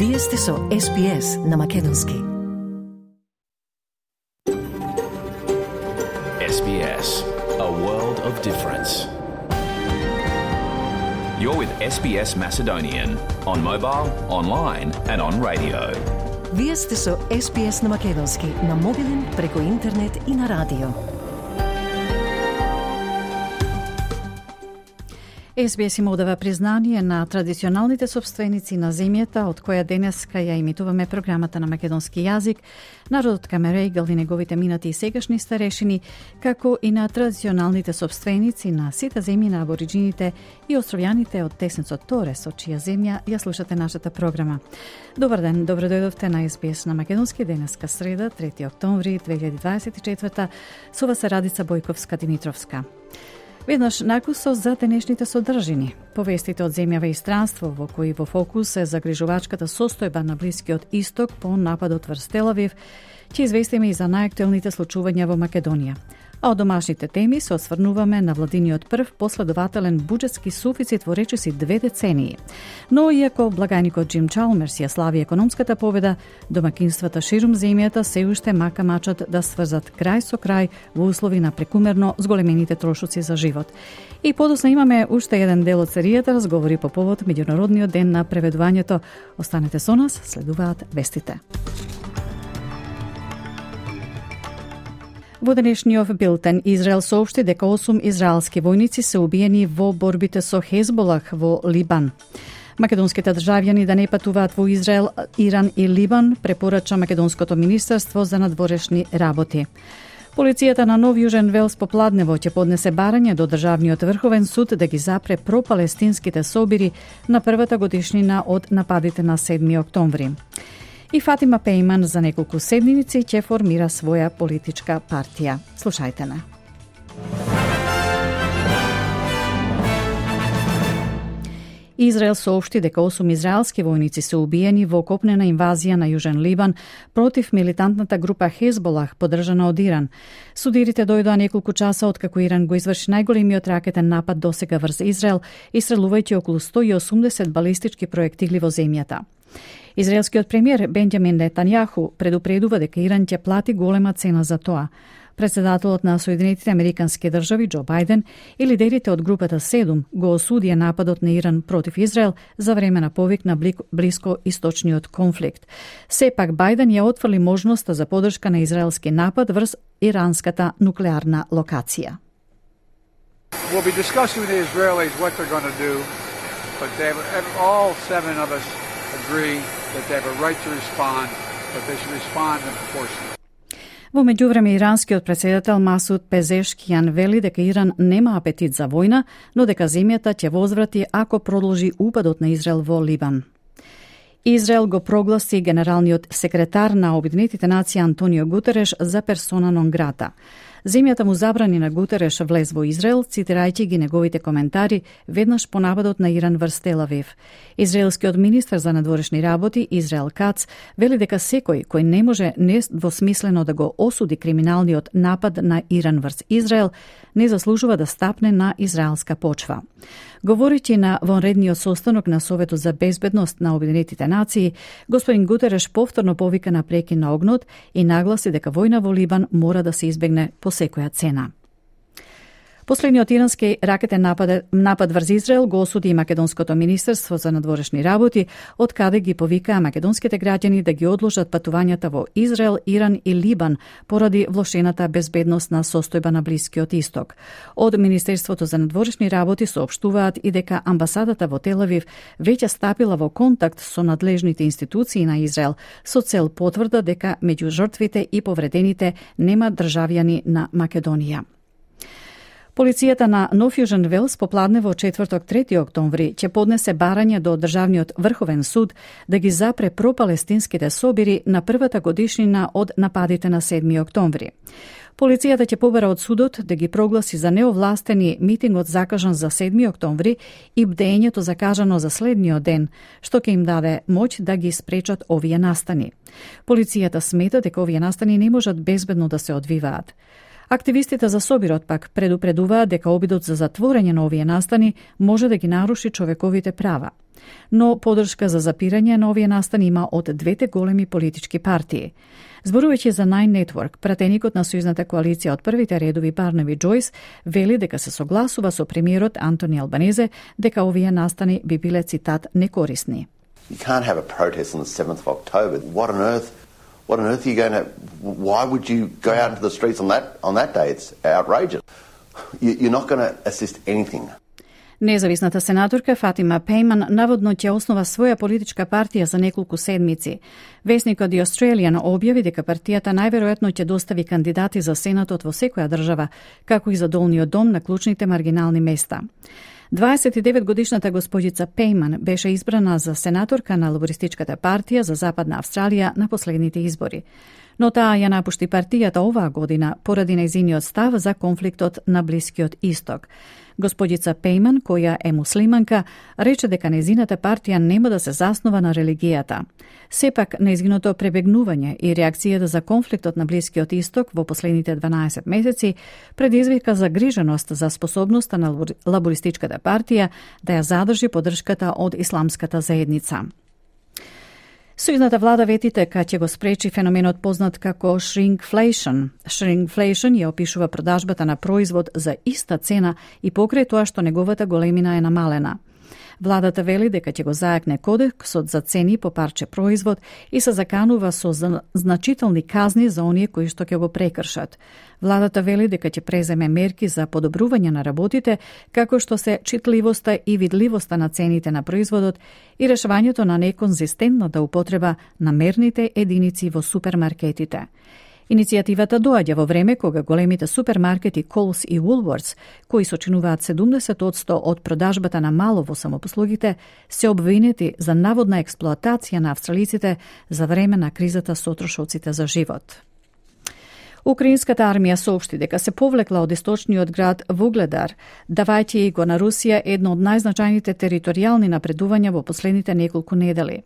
Вие сте со SPS на Македонски. SBS, a world of difference. You're with SBS Macedonian on mobile, online and on radio. Вие сте со SPS на Македонски на мобилен, преку интернет и на радио. SBS им одава признание на традиционалните собственици на земјата, од која денеска ја имитуваме програмата на македонски јазик, народот Камерејгал и неговите минати и сегашни старешини, како и на традиционалните собственици на сите земји на абориджините и островјаните од Теснецот Торес, од чија земја ја слушате нашата програма. Добар ден, добро дојдовте на SBS на македонски денеска среда, 3 октомври 2024, со вас е Радица Бојковска-Димитровска. Веднаш накусо за денешните содржини. Повестите од земјава и странство, во кои во фокус е загрижувачката состојба на Блискиот Исток по нападот врз Тел Авив, ќе известиме и за најактуелните случувања во Македонија. А од домашните теми се осврнуваме на владиниот прв последователен буџетски суфицит во речиси 2 децении. Но иако благајникот Џим Чалмерс ја слави економската победа, домакинствата ширум земјата се уште мака мачат да сврзат крај со крај во услови на прекумерно зголемените трошоци за живот. И подосна имаме уште еден дел од серијата разговори по повод Меѓународниот ден на преведувањето. Останете со нас, следуваат вестите. Во денешниот билтен Израел соопшти дека 8 израелски војници се убиени во борбите со Хезболах во Либан. Македонските државјани да не патуваат во Израел, Иран и Либан, препорача Македонското министерство за надворешни работи. Полицијата на Нов Јужен Велс попладнево ќе поднесе барање до Државниот врховен суд да ги запре пропалестинските собири на првата годишнина од нападите на 7 октомври. И Фатима Пејман за неколку седмици ќе формира своја политичка партија. Слушајте не. Израел соопшти дека 8 израелски војници се убиени во копнена инвазија на Јужен Либан против милитантната група Хезболах, поддржана од Иран. Судирите дојдоа неколку часа откако Иран го изврши најголемиот ракетен напад досега врз Израел, истрелувајќи околу 180 балистички проектили во земјата. Израелскиот премиер Бенџамин Нетањаху предупредува дека Иран ќе плати голема цена за тоа. Председателот на Соединетите Американски држави Џо Бајден и лидерите од групата 7 го осудија нападот на Иран против Израел за време на повик на блискоисточниот конфликт. Сепак Бајден ја отфрли можноста за поддршка на израелски напад врз иранската нуклеарна локација. We'll be discussing with the Israelis what they're going to do, but all 7 of us agree that they have a right to respond, but they should respond in proportion. Во меѓувреме, иранскиот председател Масуд Пезешкијан вели дека Иран нема апетит за војна, но дека земјата ќе возврати ако продолжи упадот на Израел во Либан. Израел го прогласи генералниот секретар на Обединетите нации Антонио Гутереш за персона нон грата. Земјата му забрани на Гутереш влез во Израел, цитирајќи ги неговите коментари веднаш по нападот на Иран врз Тел Авив. Израелскиот министер за надворешни работи Израел Кац вели дека секој кој не може недвосмислено да го осуди криминалниот напад на Иран врз Израел, не заслужува да стапне на израелска почва. Говорејќи на вонредниот состанок на Советот за безбедност на Обединетите нации, господин Гутереш повторно повика на прекин на огнот и нагласи дека војна во Либан мора да се избегне по секоја цена. Последниот ирански ракетен напад врз Израел го осуди и Македонското министерство за надворешни работи, од каде ги повикаа македонските граѓани да ги одложат патувањата во Израел, Иран и Либан поради влошената безбедносна состојба на Блискиот Исток. Од Министерството за надворешни работи соопштуваат и дека амбасадата во Тел Авив веќе стапила во контакт со надлежните институции на Израел со цел потврда дека меѓу жртвите и повредените нема државјани на Македонија. Полицијата на Нов Јужен Велс попладнево четврток 3 октомври ќе поднесе барање до Државниот врховен суд да ги запре пропалестинските собири на првата годишнина од нападите на 7 октомври. Полицијата ќе побара од судот да ги прогласи за неовластени митингот закажан за 7 октомври и бдењето закажано за следниот ден, што ќе им даде моќ да ги спречат овие настани. Полицијата смета дека овие настани не можат безбедно да се одвиваат. Активистите за собирот пак предупредуваат дека обидот за затворање на овие настани може да ги наруши човековите права. Но подршка за запирање на овие настани има од двете големи политички партии. Зборувајќи за Nine Network, пратеникот на сојузната коалиција од првите редови Барнаби Џојс вели дека се согласува со премиерот Антони Албанезе дека овие настани би биле, цитат, некорисни. You can't have a protest on the 7th of October. What on earth are you going to... Why would you go out into the streets on that day? It's outrageous. You're not going to assist anything. Независната сенаторка Фатима Пейман наводно ќе основа своја политичка партија за неколку седмици. Весникот The Australian објави дека партијата најверојатно ќе достави кандидати за сенатот во секоја држава, како и за долниот дом на клучните маргинални места. 29-годишната господица Пейман беше избрана за сенаторка на Лабористичката партија за Западна Австралија на последните избори. Но таа ја напушти партијата оваа година поради нејзиниот став за конфликтот на Блискиот Исток. Господица Пейман, која е муслиманка, рече дека нејзината партија нема да се заснова на религијата. Сепак, нејзиното пребегнување и реакцијата за конфликтот на Блискиот Исток во последните 12 месеци предизвика загриженост за способноста на Лабористичката партија да ја задржи поддршката од исламската заедница. Сојузната влада вети дека ќе го спречи феноменот познат како shrinkflation. Shrinkflation ја опишува продажбата на производ за иста цена и покрај тоа што неговата големина е намалена. Владата вели дека ќе го зајакне кодексот за цени по парче производ и се заканува со значителни казни за оние кои што ќе го прекршат. Владата вели дека ќе преземе мерки за подобрување на работите, како што се читливоста и видливоста на цените на производот и решавањето на неконзистентната употреба на мерните единици во супермаркетите. Иницијативата доаѓа во време кога големите супермаркети Coles и Woolworths, кои сочинуваат 70% од продажбата на мало во самопослугите, се обвинети за наводна експлоатација на австралиците за време на кризата со трошоците за живот. Украинската армија соопшти дека се повлекла од источниот град Вугледар, давајќи го на Русија едно од најзначајните територијални напредувања во последните неколку недели.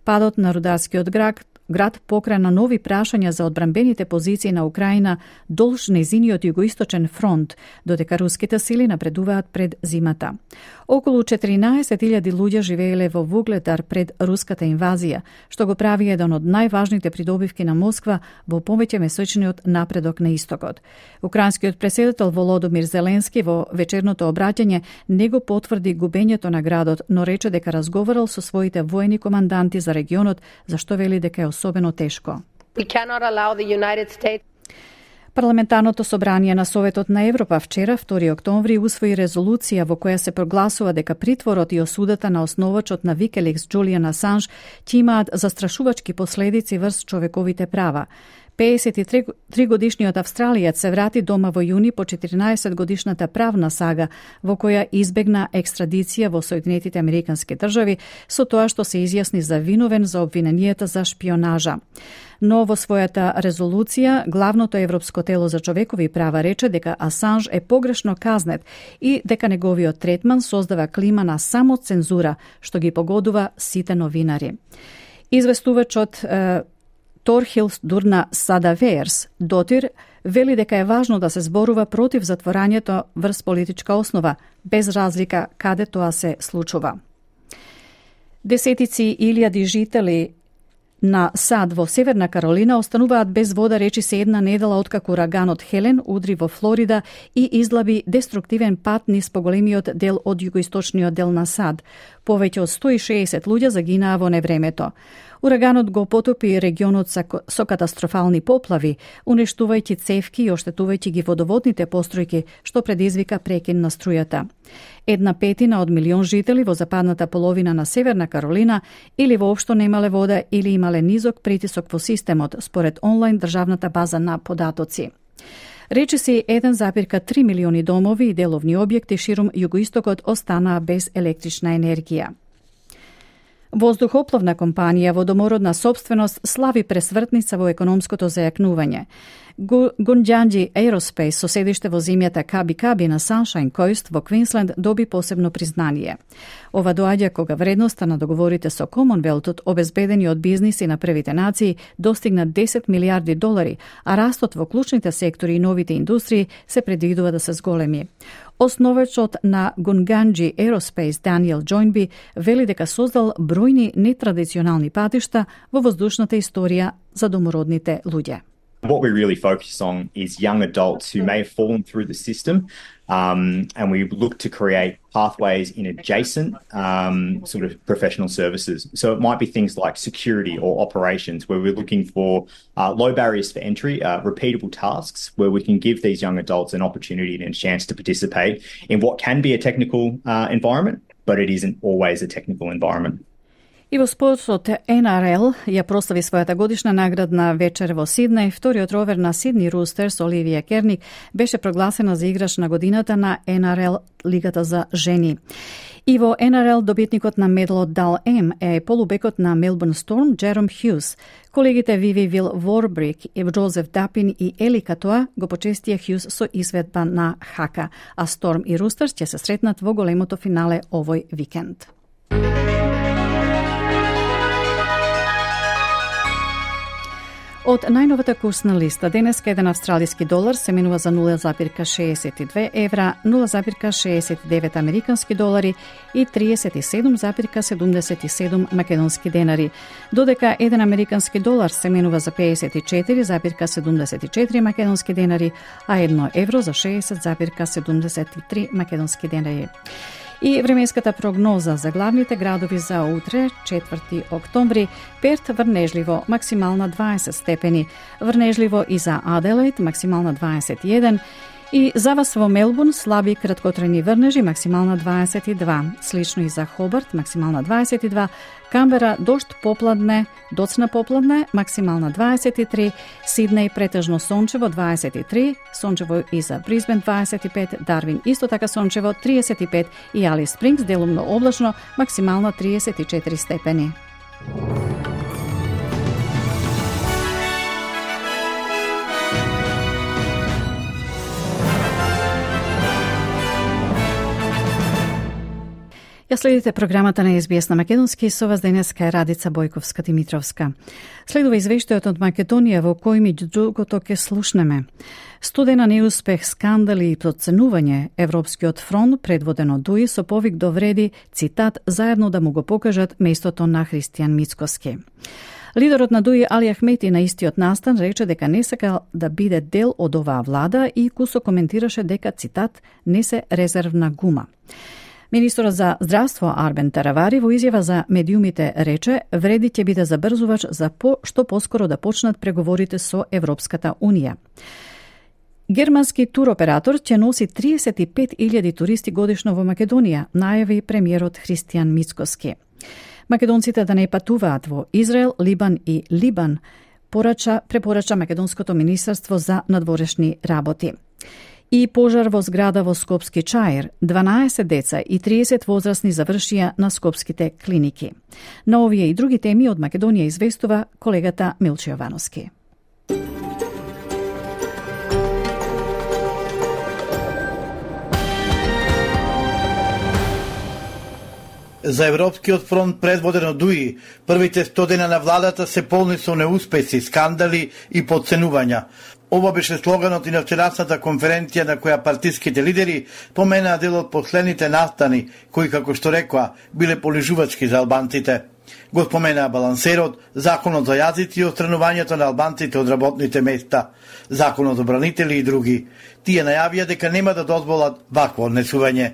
Падот на рударскиот град покрана нови прашања за одбранбените позиции на Украина долж нејзиниот југоисточен фронт, додека руските сили напредуваат пред зимата. Околу 14.000 луѓе живееле во Вугледар пред руската инвазија, што го прави еден од најважните придобивки на Москва во повеќе месечниот напредок на истокот. Украинскиот претседател Володомир Зеленски во вечерното обраќање не го потврди губењето на градот, но рече дека разговарал со своите воени команданти за регионот, зашто вели дека е особено тешко. Парламентарното собрание на Советот на Европа вчера, 2 октомври, усвои резолуција во која се прогласува дека притворот и осудата на основачот на Викеликс Џулијан Асанж ќе имаат застрашувачки последици врз човековите права. 53-годишниот австралијец се врати дома во јуни по 14-годишната правна сага во која избегна екстрадиција во Соединетите Американски држави со тоа што се изјасни за виновен за обвиненијата за шпионажа. Но во својата резолуција главното европско тело за човекови права рече дека Асанж е погрешно казнет и дека неговиот третман создава клима на самоцензура што ги погодува сите новинари. Известувачот Торхилс Дурна Садаверс дотир вели дека е важно да се зборува против затворањето врз политичка основа, без разлика каде тоа се случува. Десетици илјади жители на сад во Северна Каролина остануваат без вода речиси една недела откако ураганот Хелен удри во Флорида и излаби деструктивен пат низ поголемиот дел од југоисточниот дел на сад. Повеќе од 160 луѓе загинаа во невремето. Ураганот го потопи регионот со катастрофални поплави, уништувајќи цевки и оштетувајќи ги водоводните постројки, што предизвика прекин на струјата. 1/5 од милион жители во западната половина на Северна Каролина или воопшто немале вода или имале низок притисок во системот, според онлайн државната база на податоци. Речиси 1,3 милиони домови и деловни објекти ширум југоистокот останаа без електрична енергија. Воздухопловна компанија во домородна сопственост слави пресвртница во економското зајакнување. Гунџанџи Aerospace со седиште во земјата Каби на Sunshine Coast во Квинсленд доби посебно признание. Ова доаѓа кога вредноста на договорите со Комонвелтот, обезбедени од бизниси на првите нации, достигна 10 милиарди долари, а растот во клучните сектори и новите индустрии се предвидува да се зголеми. Основачот на Гунџанџи Aerospace Даниел Джојнби вели дека создал бројни нетрадиционални патишта во воздушната историја за домородните луѓе. What we really focus on is young adults who may have fallen through the system, and we look to create pathways in adjacent sort of professional services. So it might be things like security or operations, where we're looking for low barriers for entry, repeatable tasks, where we can give these young adults an opportunity and a chance to participate in what can be a technical environment, but it isn't always a technical environment. И во спортот NRL ја прослави својата годишна наградна вечер во Сиднеј. Вториот ровер на Сидни Рустерс, Оливија Керник, беше прогласена за играч на годината на NRL Лигата за жени. И во NRL добитникот на медалот Дал М е полубекот на Мелбурн Сторм Джером Хјус. Колегите Виви Вил Ворбрик, Джозеф Дапин и Ели Катоа го почестија Хјус со изведба на хака, а Сторм и Рустерс ќе се сретнат во големото финале овој викенд. Од најновата курсна листа, денеска еден австралиски долар се менува за 0,62 евра, 0,69 американски долари и 37,77 македонски денари, додека еден американски долар се менува за 54,74 македонски денари, а едно евро за 60,73 македонски денари. И временската прогноза за главните градови за утре, 4 октомври: Перт врнежливо, максимална 20 степени, врнежливо и за Аделаид, максимална 21, и за вас во Мелбурн слаби краткотрајни врнежи, максимална 22, слично и за Хобарт, максимална 22, Камбера дожд попладне, доцна попладне, максимална 23, Сиднеј претежно сончево 23, сончево и за Брисбен 25, Дарвин исто така сончево 35 и Алис Спрингс делумно облачно, максимална 34 степени. Ја следите програмата на СБС на македонски, со вас денеска е Радица Бојковска-Димитровска. Следува извештајот од Македонија во кој меѓу другото ке слушнеме. Студена неуспех, скандали и проценување, Европскиот фронт, предводен од ДУИ, со повик довреди, цитат, заедно да му го покажат местото на Христијан Мицкоски. Лидерот на ДУИ Али Ахмети на истиот настан рече дека не сака да биде дел од оваа влада и кусо коментираше дека, цитат, не се резервна гума. Министерот за здравство Арбен Таравари во изјава за медиумите рече, вреди ќе биде забрзувач за што поскоро да почнат преговорите со Европската Унија. Германски туроператор ќе носи 35.000 туристи годишно во Македонија, најави премиерот Христијан Мицкоски. Македонците да не патуваат во Израел, Либан и Либан, препорача Македонското министерство за надворешни работи. И пожар во зграда во Скопски Чаир, 12 деца и 30 возрастни завршија на скопските клиники. На овие и други теми од Македонија известува колегата Милче Јовановски. За Европскиот фронт, предводен од ДУИ, првите 100 дена на владата се полни со неуспеси, скандали и подценувања. Ова беше слоганот и на вчерашната конференција на која партиските лидери поменаа дел од последните настани, кои, како што рекоа, биле понижувачки за албанците. Го споменаа балансерот, законот за јазици и отстранувањето на албанците од работните места, законот за бранители и други. Тие најавија дека нема да дозволат вакво однесување.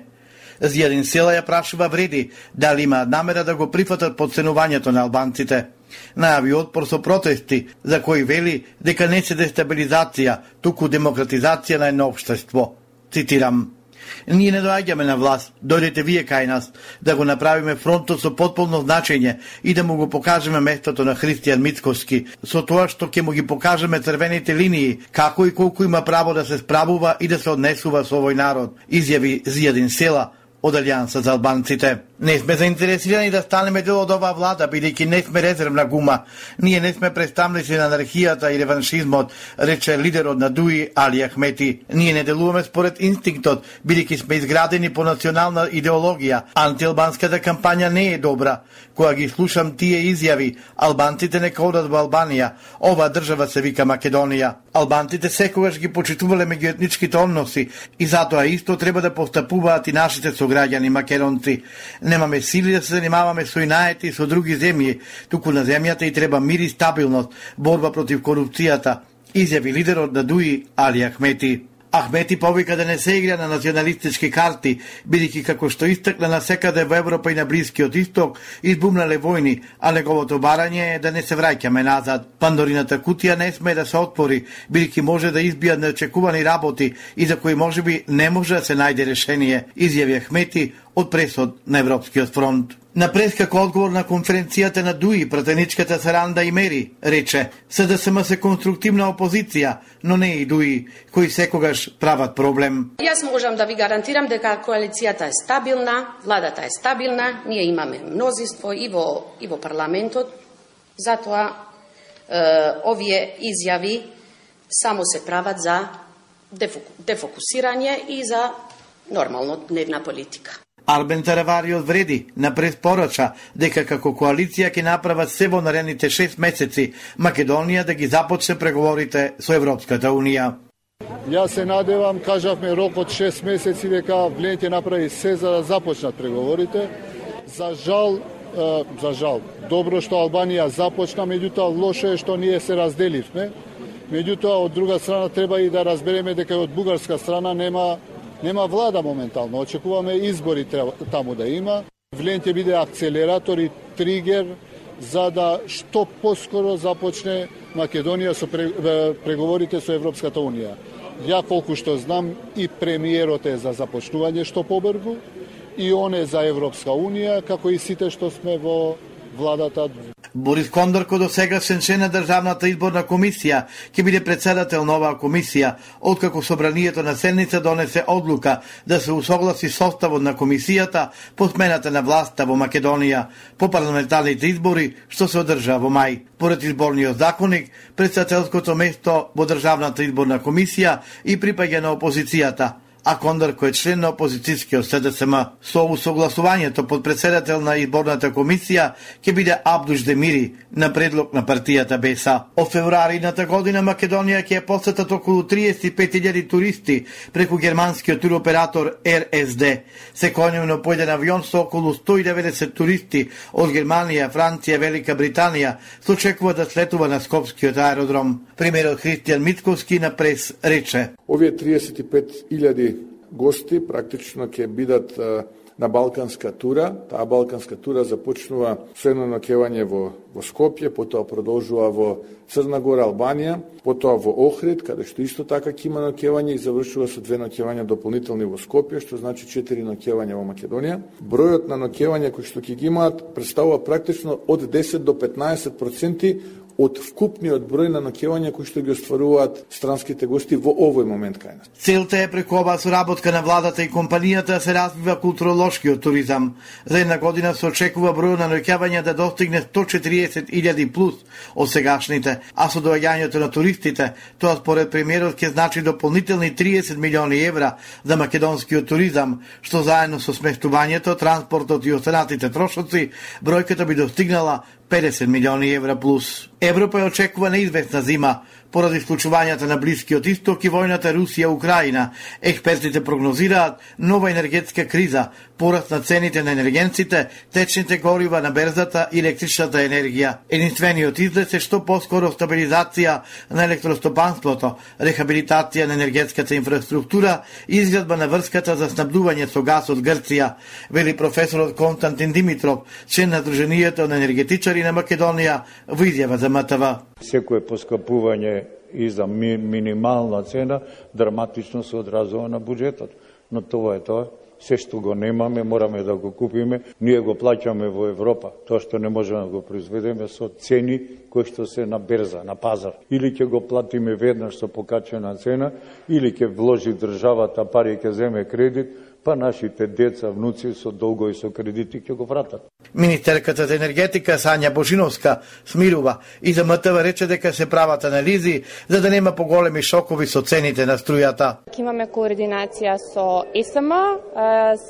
Зијадин Села ја прашува вреди дали имаат намера да го прифатат подценувањето на албанците. Најави отпор со протести, за кои вели дека не се дестабилизација, туку демократизација на едно општество. Цитирам: Ние не доаѓаме на власт, дојдете вие кај нас, да го направиме фронтот со потполно значење и да му го покажеме местото на Христијан Мицкоски, со тоа што ќе му ги покажеме црвените линии, како и колку има право да се справува и да се однесува со овој народ, изјави Зијадин Села од Алијанса за албанците. Не сме заинтересирани да станеме дел од оваа влада, бидејќи не сме резервна гума. Ние не сме представници на анархијата и реваншизмот, рече лидерот на ДУИ Али Ахмети. Ние не делуваме според инстинктот, бидејќи сме изградени по национална идеологија. Антиалбанската кампања не е добра. Кога ги слушам тие изјави, албанците нека одат во Албанија. Оваа држава се вика Македонија. Албанците секогаш ги почитувале меѓуетничките односи и затоа исто треба да постапуваат и нашите сограѓани македонци. Немаме сили да се занимаваме со инаети и со други земји, туку на земјата и треба мир и стабилност, борба против корупцијата, изјави лидерот на ДУИ Али Ахмети. Ахмети повика да не се игра на националистички карти, бидејќи како што истакна насекаде во Европа и на Блискиот Исток избумнале војни, а неговото барање е да не се враќаме назад. Пандорината кутија не сме да се отвори, бидејќи може да избијат неочекувани работи и за кои можеби не може да се најде решение, изјави Ахмети од пресод на Европскиот фронт. На прес како одговор на конференцијата на ДУИ, пратеничката Саранда Имери рече: СДСМ се конструктивна опозиција, но не и ДУИ, кои секогаш прават проблем. Јас можам да ви гарантирам дека коалицијата е стабилна, владата е стабилна, ние имаме мнозинство и во парламентот, затоа овие изјави само се прават за дефокусирање и за нормално дневна политика. Арбен Таравари одвреди на прес порача дека како коалиција ќе направат се во наредните 6 месеци Македонија да ги започне преговорите со Европската Унија. Јас се надевам, кажавме рок од 6 месеци дека влијање направи се за да започнат преговорите. За жал, добро што Албанија започна, меѓутоа лошо е што ние се разделивме. Меѓутоа од друга страна треба и да разбереме дека од бугарска страна нема влада моментално. Очекуваме избори таму да има. Влијање ќе биде акцелератор и тригер за да што поскоро започне Македонија со преговорите со Европската Унија. Ја колку што знам и премиерот е за започнување што побрзо и он е за Европска Унија, како и сите што сме во владата. Борис Кондорко, досегашен член на Државната изборна комисија, ќе биде председател на оваа комисија, откако собранието на седница донесе одлука да се усогласи составот на комисијата по смената на власта во Македонија по парламентарните избори што се одржаа во мај. Поред изборниот законник, председателското место во Државната изборна комисија и припаѓа на опозицијата, а Кондорко е член на опозицијскиот СДСМ. Со усогласувањето под председател на изборната комисија ќе биде Абдуш Демири на предлог на партијата БЕСА. Од февруари едната година Македонија ќе посетат околу 35.000 туристи преку германскиот туроператор РСД. Секојдневно по еден авион со околу 190 туристи од Германија, Франција, Велика Британија се очекува да слетува на Скопскиот аеродром. Премиерот Христијан Мицковски на прес рече: Овие 35.000 гости практично ќе бидат на балканска тура. Таа балканска тура започнува со едно ноќевање во Скопје, потоа продолжува во Црна Гора, Албанија, потоа во Охрид, каде што исто така ќе има ноќевање и завршува со 2 ноќевања дополнителни во Скопје, што значи 4 ноќевања во Македонија. Бројот на ноќевања кои што ќе ги имаат представува практично од 10 до 15% од вкупниот број на ноќевања кои што ги остваруваат странските гости во овој момент кај нас. Целта е преку оваа соработка на владата и компанијата да се развива културолошкиот туризам. За една година се очекува бројот на ноќевања да достигне 140.000 плюс од сегашните, а со доаѓањето на туристите, тоа според премиерот ќе значи дополнителни 30 милиони евра за македонскиот туризам, што заедно со сместувањето, транспортот и останатите трошоци, бројката би достигнала 50 милиони евра плюс. Европа ја очекува неизвестна зима поради случувањата на Блискиот Исток и војната Русија-Украина. Експертите прогнозираат нова енергетска криза, пораст на цените на енергенците, течните горива на берзата и електричната енергија. Единствениот излез е што поскоро стабилизација на електростопанството, рехабилитација на енергетската инфраструктура и изградба на врската за снабдување со газ од Грција, вели професорот Константин Димитров, член на Сдруженијето на енергетичари на Македонија, во изјава за МТВ. Секое поскапување и за минимална цена драматично се одразува на буџетот. Но тоа е тоа. Се што го немаме, мораме да го купиме. Ние го плаќаме во Европа. Тоа што не можеме да го произведеме со цени кои што се на берза, на пазар. Или ќе го платиме веднаш со покачена цена, или ќе вложи државата пари, ќе земе кредит, па нашите деца, внуци со долго и со кредити ќе го вратат. Министерката за енергетика Сања Божиновска смирува и за МТВ рече дека се прават анализи за да нема поголеми шокови со цените на струјата. Имаме координација со ЕСМ,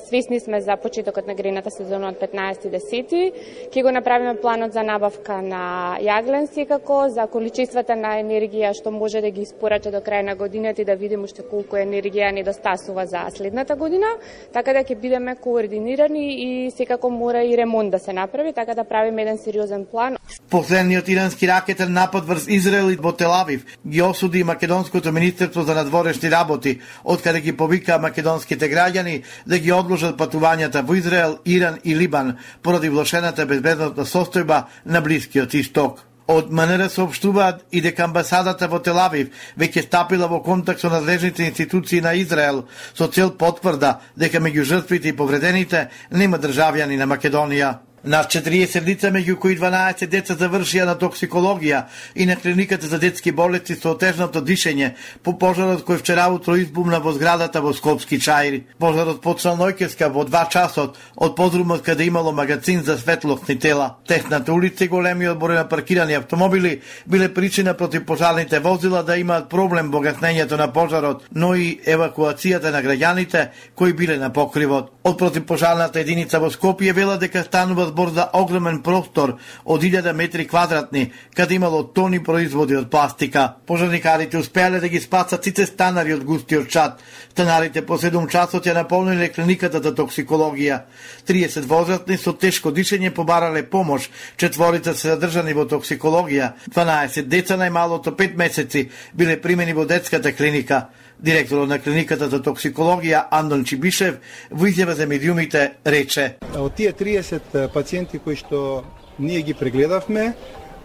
свесни сме за почетокот на грејната сезона од 15.10. Ќе го направиме планот за набавка на јаглен секако, за количествата на енергија што може да ги испорача до крај на годината и да видиме уште колку енергија недостасува за следната година, така да ќе бидеме координирани и секако мора и ремонт да се направи, така да правиме еден сериозен план. Последниот ирански ракетен напад врз Израел и во Тел Авив ги осуди Македонското министерство за надворешни работи, откаде ги повика македонските граѓани да ги одложат патувањата во Израел, Иран и Либан поради влошената безбедносна состојба на Блискиот Исток. Од МНР соопштуваат и дека амбасадата во Тел Авив веќе стапила во контакт со надлежните институции на Израел со цел потврда дека меѓу жртвите и повредените нема државјани на Македонија. Над 40 лица, меѓу кои 12 деца завршија на токсикологија и на клиниката за детски болести со отежното дишење по пожарот кој вчера утро избумна во зградата во Скопски Чаир. Пожарот почнал ноќеска во 2 часот од подрумот каде имало магазин за светлосни тела. Тесната улица и големиот број на паркирани автомобили биле причина против пожарните возила да имаат проблем во гаснењето на пожарот, но и евакуацијата на граѓаните кои биле на покривот. Од противпожарната единица во Скопје вела дека станува збор за огромен простор од 1000 метри квадратни, каде имало тони производи од пластика. Пожарникарите успеале да ги спасат сите станари од густиот чад. Станарите по 7 часот ја наполниле клиниката за токсикологија. 30 возрастни со тешко дишење побарале помош, 4 се задржани во токсикологија, 12 деца најмалото 5 месеци биле примени во детската клиника. Директорот на клиниката за токсикологија Андон Чибишев во изјава за медиумите рече: од тие 30 пациенти кои што ние ги прегледавме,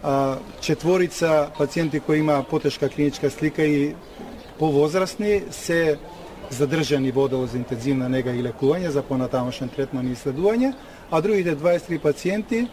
4 пациенти кои има потешка клиничка слика и повозрастни се задржани во одел за интензивна нега и лекување за понатамошен третман и исследување, а другите 23 пациенти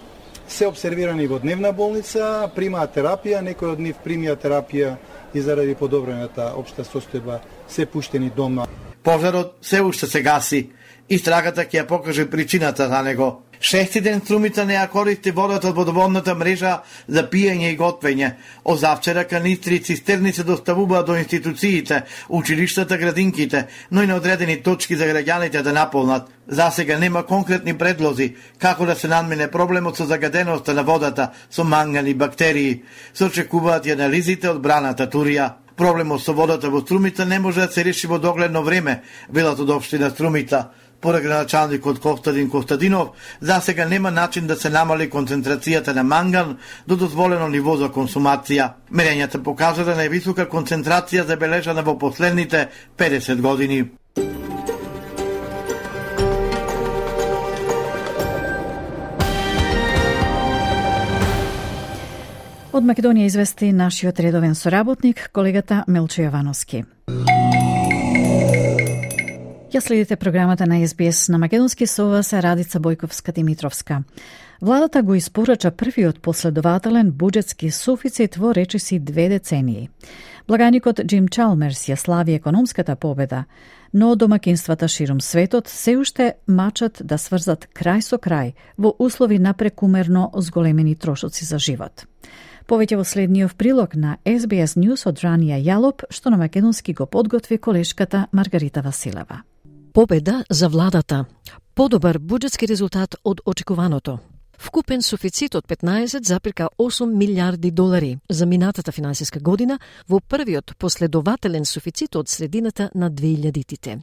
се обсервирани во дневна болница, примаат терапија, некои од нив примија терапија и заради подобрената општа состојба се пуштени дома. Пожарот се уште се гаси. Истрагата ќе ја покаже причината за него. 6 ден струмица не ја користи водата од водоводната мрежа за пиење и готвење. Озавчера канистри и цистерни се доставуваат до институциите, училиштата, градинките, но и на одредени точки за граѓаните да наполнат. Засега нема конкретни предлози како да се надмине проблемот со загаденоста на водата со манган и бактерии. Се очекуваат и анализите од браната Турија. Проблемот со водата во Струмица не може да се реши во догледно време, велат од општина Струмица. Поред градоначалникот Костадин Костадинов, засега нема начин да се намали концентрацијата на манган до дозволено ниво за консумација. Мерењата покажа да највисока концентрација забележана во последните 50 години. Од Македонија извести нашиот редовен соработник, колегата Мелчо Јовановски. Ја следите програмата на СБС на македонски со вас Радица Бојковска-Димитровска. Владата го испорача првиот последователен буџетски суфицит во речиси 2 децении. Благаникот Джим Чалмерс ја слави економската победа, но домакинствата ширум светот се уште мачат да сврзат крај со крај во услови на прекумерно зголемени трошоци за живот. Повеќе во следниот прилог на SBS News од Ранија Јалоп, што на македонски го подготви колешката Маргарита Василева. Победа за владата. Подобар буџетски резултат од очекуваното. Вкупен суфицит од 15,8 милиарди долари за минатата финансиска година во првиот последователен суфицит од средината на 2000-тите.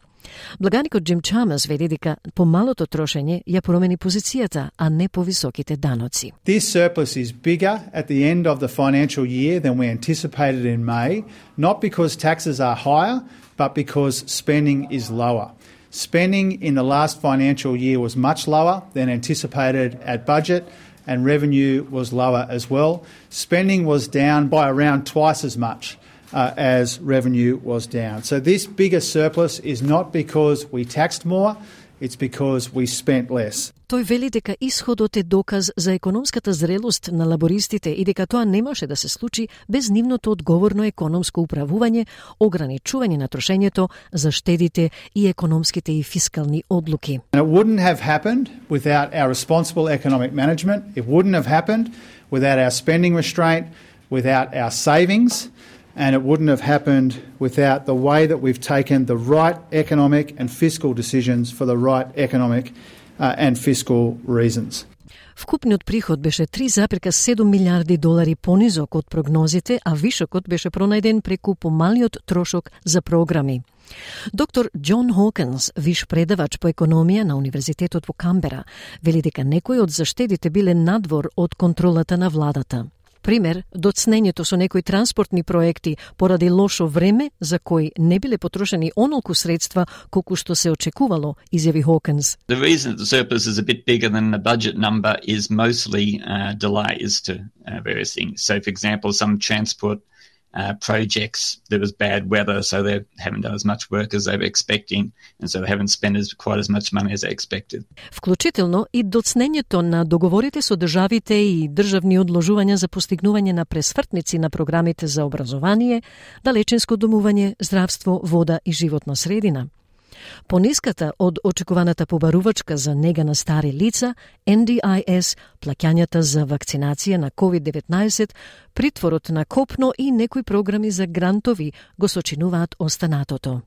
Благаникот Джим Чалмерс вели дека помалото трошење ја промени позицијата, а не повисоките даноци. This surplus is bigger at the end of the financial year than we anticipated in May, not because taxes are higher, but because spending is lower. Spending in the last financial year was much lower than anticipated at budget, and revenue was lower as well. Spending was down by around twice as much as revenue was down. So this bigger surplus is not because we taxed more, it's because we spent less. Тој вели дека исходот е доказ за економската зрелост на лабористите и дека тоа не може да се случи без нивното одговорно економско управување, ограничување на трошењето, заштедите и економските и фискални одлуки. And it wouldn't have happened without our responsible economic management. It wouldn't have happened without our spending restraint, without our savings, and it wouldn't have happened without the way that we've taken the right economic and fiscal decisions for the right economic and fiscal reasons. Вкупниот приход беше 3,7 милиарди долари понизок од прогнозите, а вишокот беше пронајден преку помалиот трошок за програми. Доктор Џон Хокинс, виш предавач по економија на Универзитетот во Камбера, вели дека некои од заштедите биле надвор од контролата на владата. Пример, доцнењето со некои транспортни проекти поради лошо време за кои не биле потрошени онолку средства колку што се очекувало, изјави Хокинс. The reason the surplus is a bit bigger than the budget number is mostly delays to various things. So, for example, some transport projects, there was bad weather, so they haven't done as much work as they were expecting, and so they haven't spent quite as much money as they expected. Вклучително и доцнењето на договорите со државите и државни одложувања за постигнување на пресвртници на програмите за образование, далечинско домување, здравство, вода и животна средина. Пониската од очекуваната побарувачка за нега на стари лица, NDIS, плаќањата за вакцинација на COVID-19, притворот на копно и некои програми за грантови го сочинуваат останатото.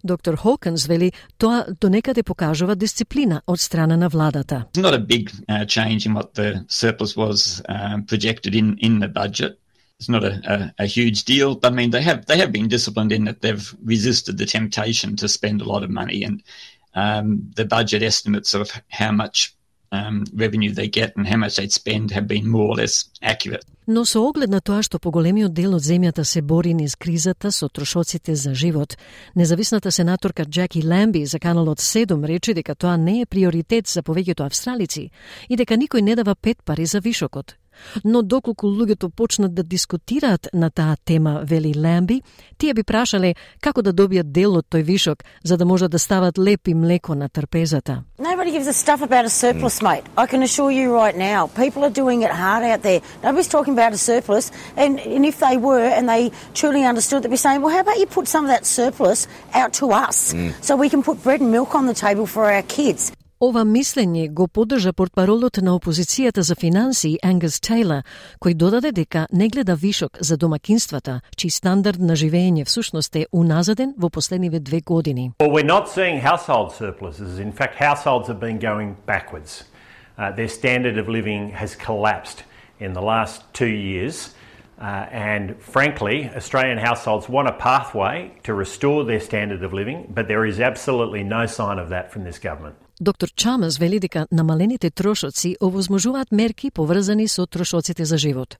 Доктор Хокинс вели тоа донекаде покажува дисциплина од страна на владата. It's not a big change in what the surplus was projected in the budget. It's not a huge deal, but I mean they have been disciplined in that they've resisted the temptation to spend a lot of money, and the budget estimates of how much revenue they get and how much they spend have been more or less accurate. Но со оглед на тоа што поголемиот дел од земјата се бори низ кризата со трошоците за живот, независната сенаторка Джаки Ламби за каналот 7 рече дека тоа не е приоритет за повеќето австралици и дека никој не дава 5 пари за вишокот. Но доколку луѓето почнат да дискутираат на таа тема, вели Ламби, тие би прашале како да добијат дел од тој вишок, за да можат да стават леп и млеко на трпезата. Nobody gives a stuff about a surplus, mate. I can assure you right now. People are doing it hard out there. Nobody's talking about a surplus, and if they were and they truly understood, they'd be saying, well, how about you put some of that surplus out to us so we can put bread and milk on the table for our kids. Ова мислење го поддржа портпаролот на опозицијата за финансии Ангус Тейлор, кој додаде дека не гледа вишок за домакинствата, чиј стандард на живење всушност е уназаден во последниве 2 години. Well, we're not seeing household surpluses. In fact, households have been going backwards. Their standard of living has collapsed in the last 2 years. And frankly, Australian households want a pathway to restore their standard of living, but there is absolutely no sign of that from this government. Доктор Чамас вели дека намалените трошоци овозможуваат мерки поврзани со трошоците за живот.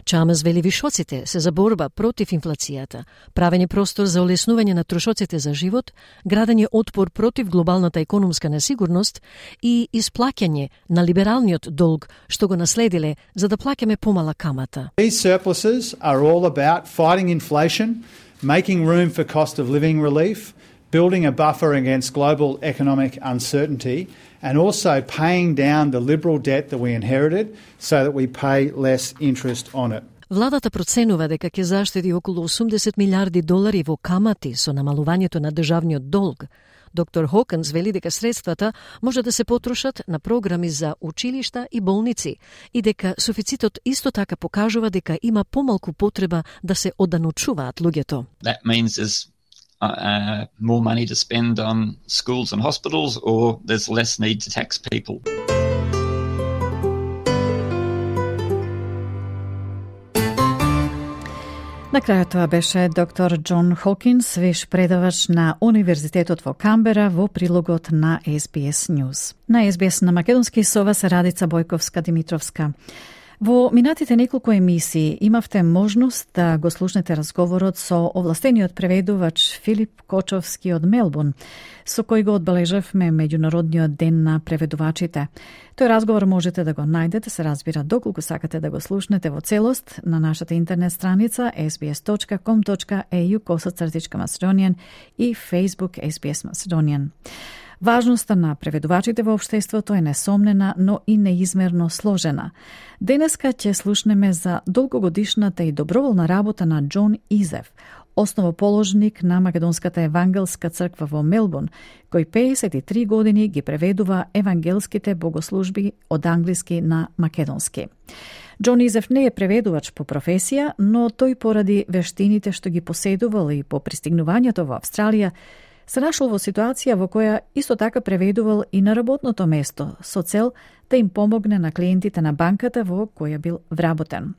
Чамас вели вишоците се за борба против инфлацијата, правење простор за олеснување на трошоците за живот, градење отпор против глобалната економска несигурност и исплаќање на либералниот долг што го наследиле за да плаќаме помала камата. These surpluses are all about fighting inflation, making room for cost of living relief, building a buffer against global economic uncertainty, and also paying down the liberal debt that we inherited so that we pay less interest on it. Владата проценува дека ќе заштеди околу 80 милиарди долари во камати со намалувањето на државниот долг. Доктор Хокинс вели дека средствата може да се потрошат на програми за училишта и болници и дека суфицитот исто така покажува дека има помалку потреба да се оданучуваат луѓето. That means there's more money to spend on schools and hospitals, or there's less need to tax people. На крајот тоа беше доктор Џон Хокинс, виш предавач на Универзитетот во Камбера во прилогот на SBS News. На SBS на македонски со вас Радица Бојковска-Димитровска. Во минатите неколку емисии имавте можност да го слушнете разговорот со овластениот преведувач Филип Кочовски од Мелбурн, со кој го одбележавме Меѓународниот ден на преведувачите. Тој разговор можете да го најдете, се разбира, доколку сакате да го слушнете во целост на нашата интернет страница sbs.com.au/Macedonian и Facebook SBS Macedonian. Важноста на преведувачите во општеството е несомнена, но и неизмерно сложена. Денеска ќе слушнеме за долгогодишната и доброволна работа на Џон Изев, основоположник на Македонската евангелска црква во Мелбурн, кој 53 години ги преведува евангелските богослужби од англиски на македонски. Џон Изев не е преведувач по професија, но тој поради вештините што ги поседувал и по пристигнувањето во Австралија, се нашол во ситуација во која исто така преведувал и на работното место, со цел да им помогне на клиентите на банката во која бил вработен.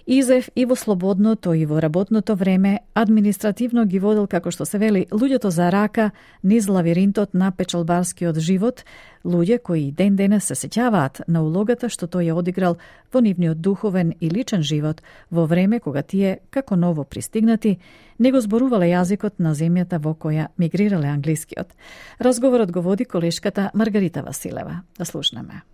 Изев и во слободното и во работното време административно ги водел, како што се вели, луѓето за рака низ лавиринтот на печалбарскиот живот, луѓе кои ден денес се сеќаваат на улогата што тој ја одиграл во нивниот духовен и личен живот во време кога тие, како ново пристигнати, не го зборувале јазикот на земјата во која мигрирале англискиот. Разговорот го води колешката Маргарита Василева. Да слушнеме.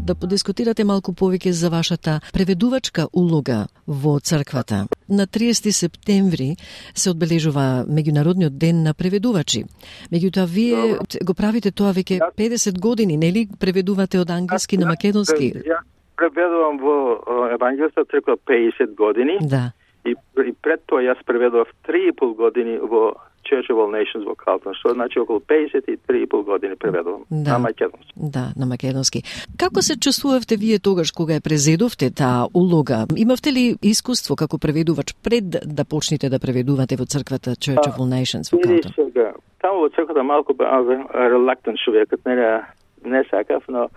Да подискутирате малку повеќе за вашата преведувачка улога во црквата. На 30 септември се одбележува Меѓународниот ден на преведувачи. Меѓутоа, вие го правите тоа веќе 50 години, нели? Преведувате од англиски на македонски. Ја преведувам во евангелската црква 50 години. Да. И пред тоа јас преведував 3,5 години во Church of All Nations во Калтон, што значи околу 53,5 години преведувам на македонски. Да, на македонски. Како се чувствувавте вие тогаш кога ја презедовте таа улога? Имавте ли искуство како преведувач пред да почнете да преведувате во црквата Church of All Nations во Калтон? Таму во црквата малку релактен човекот, не сакав, но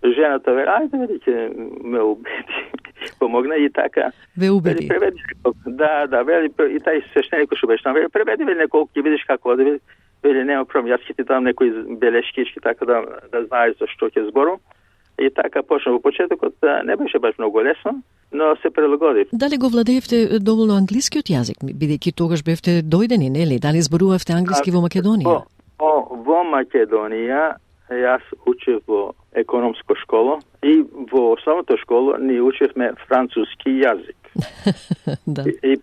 жената вели, ајде види ќе ме убеди. Помогна и така. Ве убеди. Преведи. Да, вели и тај свештеник што беше там, вели преведи вели неколку, ќе видиш како оди, вели нема проблем, јас ќе ти дам некои белешкички така да знаеш за што ќе зборувам. И така почна во почетокот, не беше баш многу лесно, но се прилагодив. Дали го владеевте доволно англискиот јазик, бидејќи тогаш бевте дојдени, нели? Дали зборувавте англиски во Македонија? Во Македонија јас учев во економска школа и во основната школа ни учевме француски јазик. Да. И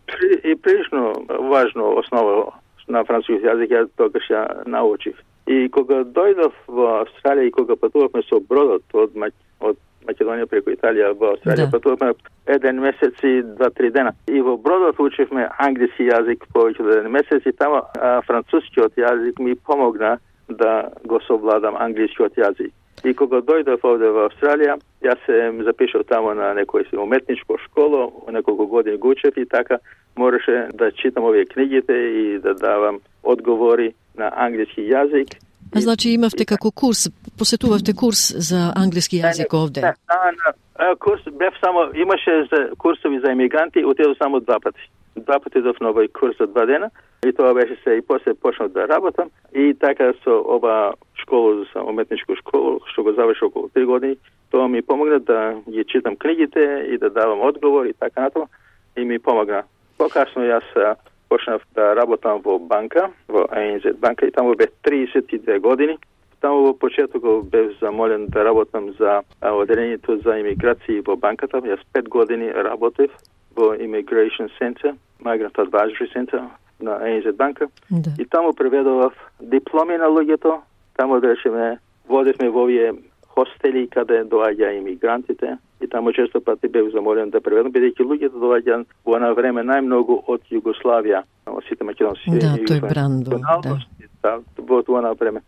прилично важно основа на француски јазик ја тогаш ја научив. И кога дојдов во Австралија и кога патувавме со бродот од Македонија преку Италија во Австралија, патувавме 1 месец и 2-3 дена. И во бродот учевме англиски јазик повеќе од 1 месец и таму францускиот јазик ми помогна да го совладам англискиот јазик. И кога дојдов овде во Австралија, јас се запишав таму на некој уметничко школо, неколку години го учев и така мораше да читам овие книгите и да давам одговори на англиски јазик. Значи имавте како курс, посетувавте курс за англиски јазик овде? Курс бев само, имаше за курсови за емигранти, отидов само 2 пати. 2 пати идов на овој курс за 2 дена и тоа беше се и после почнав да работам и така со оба школа за уметничко школа, што го завршив околу 3 години, тоа ми помогна да ги читам книгите и да давам одговор и така натаму и ми помогна. Покасно јас почнав да работам во банка, во ANZ банка и таму бев 32 години. Таму во почетокот бев замолен да работам за одделението за имиграција во банката. Јас 5 години работев во Immigration Center, Migrant Advisory Center на ANZ банка. Да. И таму преведував дипломи на луѓето. Таму речеме водевме во овие хостели каде доаѓа имигрантите и таму често пати бев замолен да преведам, бидејќи луѓето доаѓа во на време најмногу од Југославија, од сите македонски. Да, тој бран да. Во тоа на време.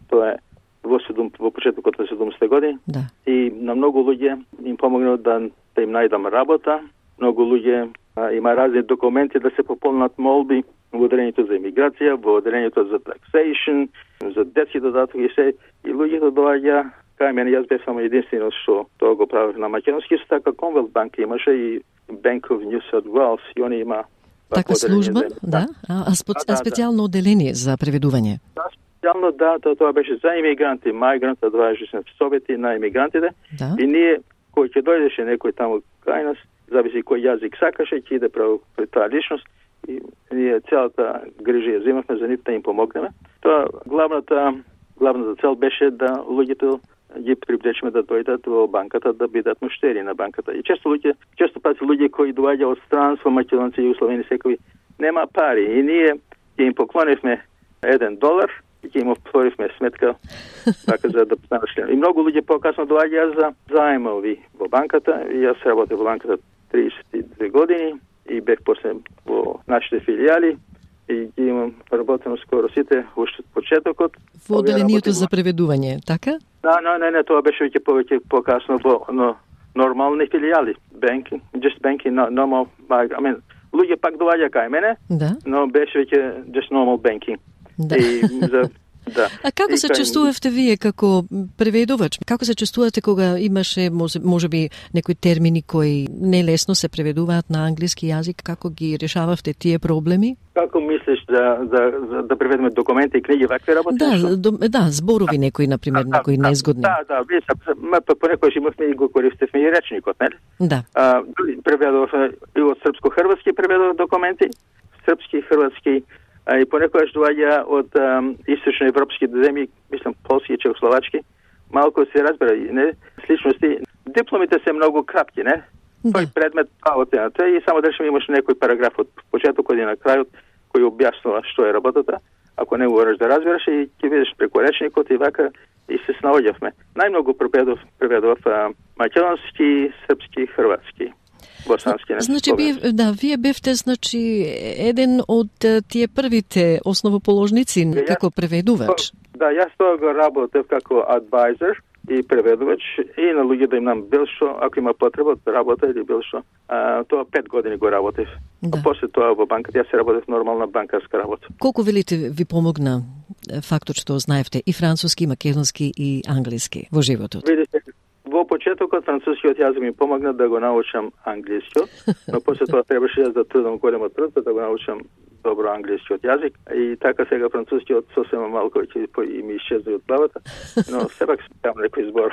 Тоа е во почетокот на 70 години. Да. И на многу луѓе им помогнал да им најдам работа. Многу луѓе има разни документи да се пополнат молби во одделението за имиграција, во одделението за taxation, за детски додаток и се. И луѓето доаѓа кај мене, јас бев само единствено што тоа го правев на македонски, со така Commonwealth Bank имаше и Bank of New South Wales и они има така служба, да? А специјално одделение за преведување? Да, специјално тоа беше за имигранти, Migrant Advisory совети на имигрантите. Да. И ние кој ќе дојдеше некој таму кај нас, зависи кој јазик сакаше, ќе иде пред таа личност и ние целата грижа ја земавме за нив да им помогнеме. Тоа главната цел беше да луѓето ги привлечеме да дојдат во банката да бидат муштери на банката. И често пати луѓе кои доаѓа од странство, македонци, југословени секои, нема пари. И ние ќе им поклонивме $1 и ќе им отворивме сметка така за да станат член. И многу луѓе покасно доаѓаат за заемови во банката. И јас работев во банката 32 години и бев после во нашите филијали и ги имам работено скоро сите уште од почетокот. Во одделението за преведување, така? Не, тоа беше веќе повеќе покасно во нормални филијали, banking, just banking, normal, луѓе пак доаѓа кај мене, но беше веќе just normal banking. Да. Да. А како се чувствувавте вие како преведувач? Како се чувствувате кога имаше можеби некои термини кои нелесно се преведуваат на англиски јазик? Како ги решававте тие проблеми? Како мислиш да преведеме документи и книги вакви работи? Да, зборови некои, например, некои незгодни. Да, понекогаш имавме и го користевме и речникот, нели? Да. Преведувавме и од српско-хрватски преведував документи, српски, хрватски, и понекогаш доаѓа од источноевропски земји, мислам полски и чехословачки, малку се разбира, не, сличности. Дипломите се многу кратки, не? Тој предмет работената и само да имаш некој параграф од почетокот и на крајот кој објаснува што е работата. Ако не можеш да разбереш и ќе видиш преку речникот и вака и се снаоѓавме. Најмногу преведував македонски, српски, хрватски. Босански, значи, вие бевте еден од тие првите основоположници како преведувач. Да, јас тоа го работев како адвайзер и преведувач и на луѓе да им нам бил што, ако има потреба да работа или бил што. Тоа 5 години го работев. А после тоа во банката јас работев нормална банкарска работа. Колку велите ви помогна фактот што знаевте и француски, и македонски и англиски во животот? Видите, во почетокот францускиот јазик ми помогна да го научам англискиот, но после тоа требаше јас да трудам големо труд да го научам добро англискиот јазик и така сега францускиот сосема малку ќе и ми исчезна од главата, но сепак сметам некој збор.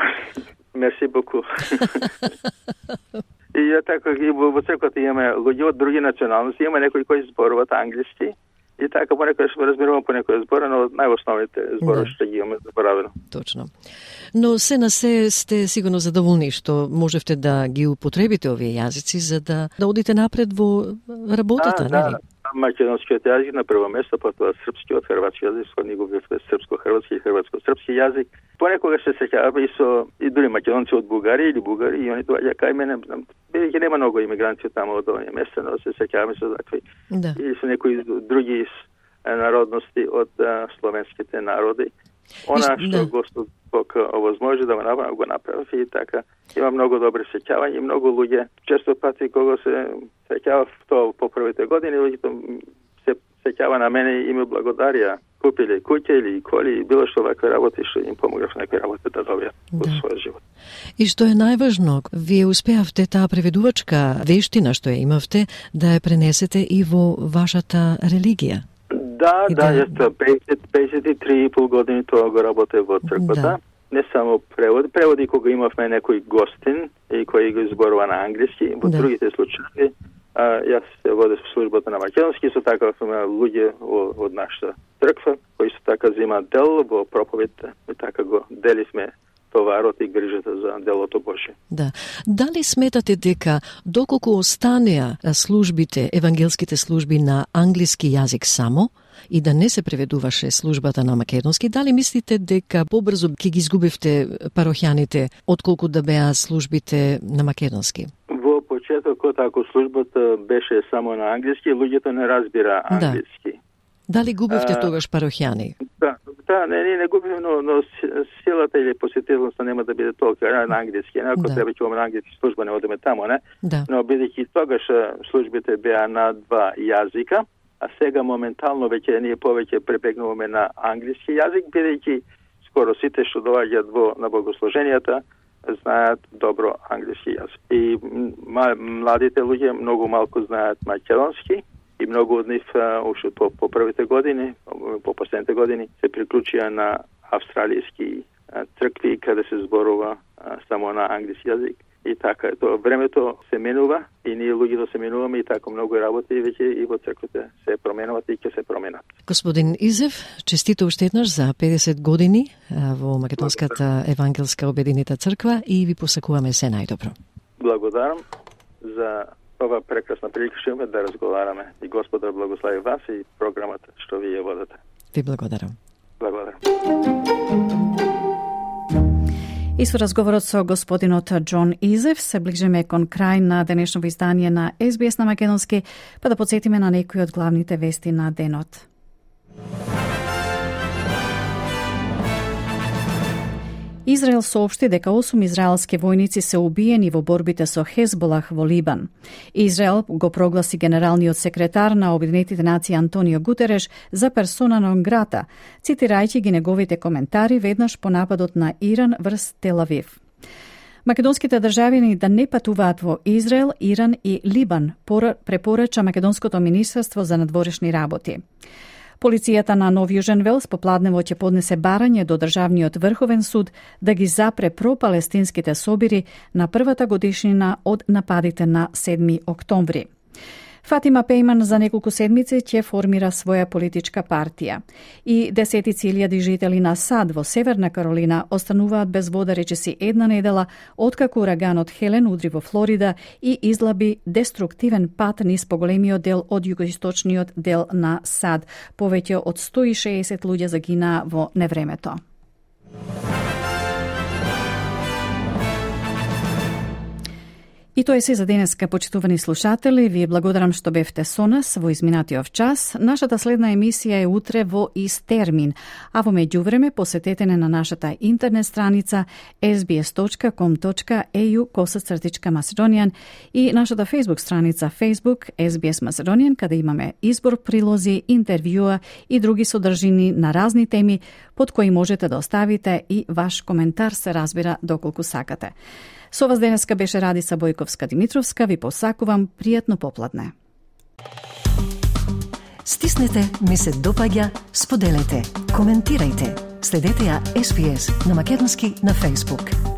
Мерси боку. И ја така и во црквата имаме луѓе од други националности, има некои кои зборуваат англиски. И така понекогаш разбирувам по некој збор, но најосновните зборови што ги имаме заборавено. Точно. Но се на се сте сигурно задоволни што можевте да ги употребите овие јазици за да одите напред во работата, нели? Македонскиот јазик на прво место, потоа српскиот, хрватски јазик, со него бевме српско-хрватски и хрватско-српски јазик. Понекогаш се сеќаваме и дури македонци од Бугарија или Бугари и они доаѓа кај мене, бидејќи нема многу имигранти таму од овие места, но се сеќаваме со такви. Да. И со некои други народности од словенските народи. Она што Господ Бог овозможи да го направи и така. Има многу добри сеќавања и многу луѓе. Често пати кога се сеќава тоа по првите години, луѓето се сеќава на мене и ми благодарија. Купиле куќа или коли и било што вакви работи што им помогав некои работи да добијат во својот живот. И што е најважно, вие успеавте таа преведувачка вештина што ја имавте да ја пренесете и во вашата религија. Да, јас 53,5 години тоа го работев во црквата. Да. Не само преводи кога имавме некој гостин и кој го зборува на англиски, во другите случаи јас се водев службата на македонски, со така сме луѓе од нашата црква кои со така земаат дел во проповедта и така го деливме товарот и грижата за делото Божие. Да. Дали сметате дека доколку останеа службите, евангелските служби на англиски јазик само и да не се преведуваше службата на македонски, дали мислите дека побрзо ќе ги изгубивте парохјаните отколку да беа службите на македонски? Во почетокот, ако службата беше само на англиски, луѓето не разбира англиски. Да. Дали губивте тогаш парохјани? Да, не губим, но силата или посетителноста нема да биде толка на англиски. Ако треба ќе имаме на англиски служба, не одиме таму, не? Да. Но бидејќи тогаш службите беа на 2 јазика, а сега моментално веќе ние повеќе пребегнуваме на англиски јазик, бидејќи скоро сите што доаѓаат на богослуженијата знаат добро англиски јазик. И младите луѓе многу малку знаат македонски, и многу од нив уште по првите години, по последните години, се приклучија на австралијски цркви каде се зборува само на англиски јазик. И така, времето се менува и ние луѓето се менуваме и така многу работи веќе и во црквите се променуваат и ќе се променат. Господин Изев, честито уште еднаш за 50 години во Македонската евангелска обединета црква и ви посакуваме се најдобро. Благодарам за ова прекрасна прилика што имаме да разговараме. И Господар благослови вас и програмата што вие водите. Ви благодарам. Благодарам. И со разговорот со господинот Џон Изев се ближиме кон крај на денешното издание на SBS на македонски, па да подсетиме на некои од главните вести на денот. Израел соопшти дека 8 израелски војници се убиени во борбите со Хезболах во Либан. Израел го прогласи генералниот секретар на Обединетите нации Антонио Гутереш за персона нон грата, цитирајќи ги неговите коментари веднаш по нападот на Иран врз Тел Авив. Македонските државјани да не патуваат во Израел, Иран и Либан, препорача Македонското министерство за надворешни работи. Полицијата на Нов Јужен Велс попладнево ќе поднесе барање до Државниот врховен суд да ги запре пропалестинските собири на првата годишнина од нападите на 7 октомври. Фатима Пејман за неколку седмици ќе формира своја политичка партија. И десетици илјади жители на Сад во Северна Каролина остануваат без вода речиси една недела откако ураганот Хелен удри во Флорида и излаби деструктивен пат низ поголемиот дел од југоисточниот дел на Сад. Повеќе од 160 луѓе загинаа во невремето. И тоа е се за денеска, почитувани слушатели. Ви благодарам што бевте со нас во изминатиот час. Нашата следна емисија е утре во ист термин, а во меѓувреме посетете на нашата интернет страница sbs.com.au/Macedonian и нашата Facebook страница Facebook SBS Macedonian, каде имаме избор прилози, интервјуа и други содржини на разни теми под кои можете да оставите и ваш коментар, се разбира доколку сакате. Со вас денеска беше Радица Бојковска-Димитровска. Ви посакувам пријатно попладне. Стиснете, ми се допаѓа, споделете, коментирајте. Следете ја SBS на македонски на Facebook.